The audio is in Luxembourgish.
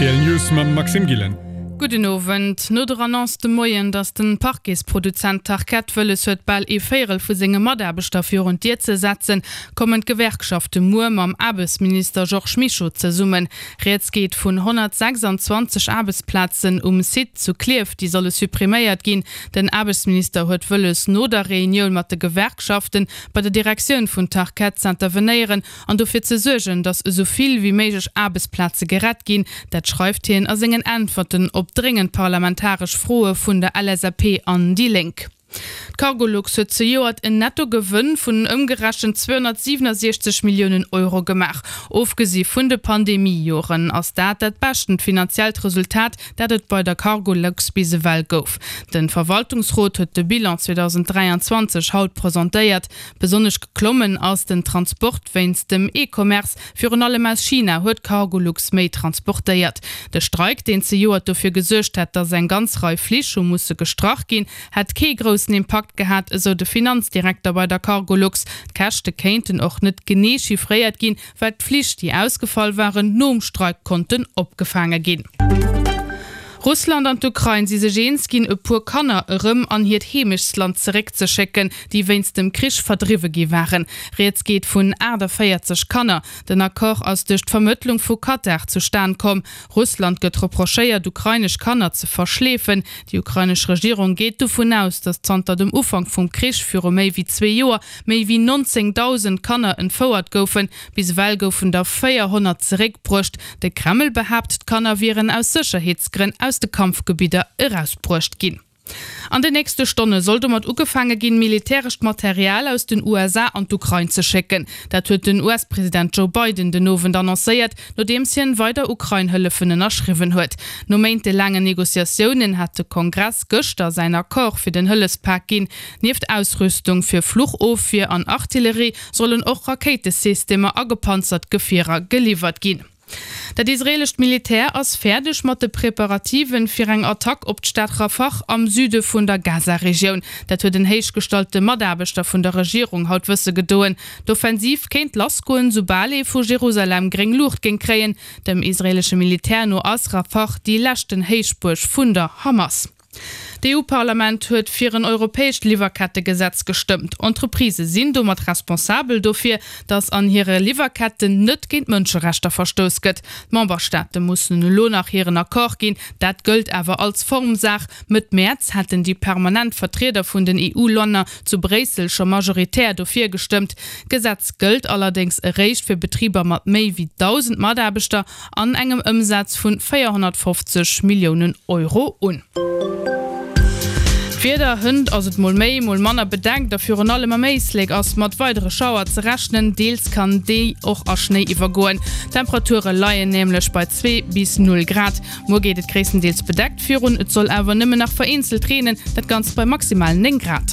Rtl News mam Maxime Gillen. Gudden Owend. No der Annonce de Moien, datt den Parquetsproduzent Tarkett wëlles huet bal ee Véierel vu senge Mataarbechter virun d'Dier ze setzen, kommen d'Gewerkschafte muer mam Aarbechtsminister Georges Mischo zesummen. Rieds geet vun 126 Aarbechtsplazen um Site zu Klierf, déi solle suppriméiert ginn. Den Aarbechtsminister huet wëlles no der Reunioun mat de Gewerkschaften bei der Direktioun vun Tarkett z'intervenéieren an dofir ze suergen, datt esou vill wéi méiglech Aarbechtsplaze gerett ginn. Dat schreift hien a sengen Äntwerten op dréngend parlamentaresch Froe vun der LSAP an déi Lénk. D'Cargolux huet zejoert en Nettogewënn vun ëmgerechent 267 Milliounen Euro gemaach. Ofgesi vun de Pandemie-Joren ass dat dat beschtent finanziellt Resultat, dat et bei der Cargolux bis ewell gouf. De Verwaltungsrot huet de Bilan 2023 haut presentéiert. Besonnesch geklommen ass den Transport wéinst dem E-Commerce. Virun allem aus China huet Cargolux méi transportéiert. De Streik, deen zejoert dofir gesuergt hat, datt eng ganz Rei Flich hu musse gestrach ginn, hätt kee groussen Impakt gehat, esou de Finanzdirekter bei der Cargolux. D'Käschte kéinten och net genee chiffréiert ginn, well d'Flich, déi ausgefall waren, nom Streik konnten opgefaange ginn. Russland an d'Ukrain si sech eens ginn, e puer Kanner erëm an hiert Heemechtsland zeréckzeschécken, déi wéinst dem Krich verdriwwe gi waren. Rieds geet vun 48 Kanner. Den Accord ass duerch d'Vermëttlung vu Katar zustan komm. Russland gëtt reprochéiert, ukrainesch Kanner ze verschleefen. Déi ukrainesch Regierung geet dovun aus, datt zanter dem Ufank vum Krich viru méi wéi zwee Joer méi wéi 19.000 Kanner entfouert goufen. Bis ewell goufen der 400 zeréckbruecht. De Kreml behaapt, d'Kanner wieren aus Sécherheetsgrënn aus de Kampfgebidder erausbruecht ginn. An den nächste Stonne soll domat ugefaange ginn, militärescht Material aus den USA an d'Ukrain ze schécken. Dat huet den US-President Joe Biden den Owend annoncéiert, nodeems hien weider Ukrain-Hëllefen ënnerschriwwen huet. No méintelaangen Negociatiounen hat de Kongress gëschter säin Accord fir den Hëllefspak ginn. Nieft Ausrüstung fir Fluchofwier an Artillerie sollen och Rakéitesystemer a gepanzert Gefierer geliwwert ginn. Dat israeelescht Militär ass fäerdeg mat de Preparativen fir eng Attack op d'Stad Rafah am Süde vun der Gaza-Regioun. Dat huet en héichgestallte Mataarbechter vun der Regierung haut wësse gedoen. D'Offensiv kéint lassgoen, soubal ee vu Jerusalem gréng Luucht géing kréien. Dem israeelesche Militär no ass Rafah déi leschten Héichbuerg vun der Hamas. D'EU-Parlament huet fir en europäescht Liwwerkettegesetz gestëmmt. Entreprisë sinn domat responsabel dofir, datt an hire Liwwerketten net géint Mënscherechter verstouss gëtt. D'Memberstaate mussen elo nach hiren Accord ginn. Dat gëllt awer als Formsaach. Mëtt Mäerz haten déi permanent Vertrieder vun den EU-Länner zu Bréissel scho majoritär dofir gestëmmt. D'Gesetz gëllt allerdéngs eréischt fir Betriber mat méi wéi 1.000 Mataarbechter an engem Ëmsaz vun 450 Milliounen Euro un. D'Wieder, Hënt ass et mol méi, mol manner bedeckt a virun allem am Éislek ass mat weidere Schauer ze rechnen, deels kann déi och a Schnéi iwwergoen. D'Temperature leien nämlech bei 2 bis 0 Grad. Muer geet et gréisstendeels bedeckt virun, et soll awer nëmmen nach vereenzelt reenen, dat Ganzt bei maximal 9 Grad.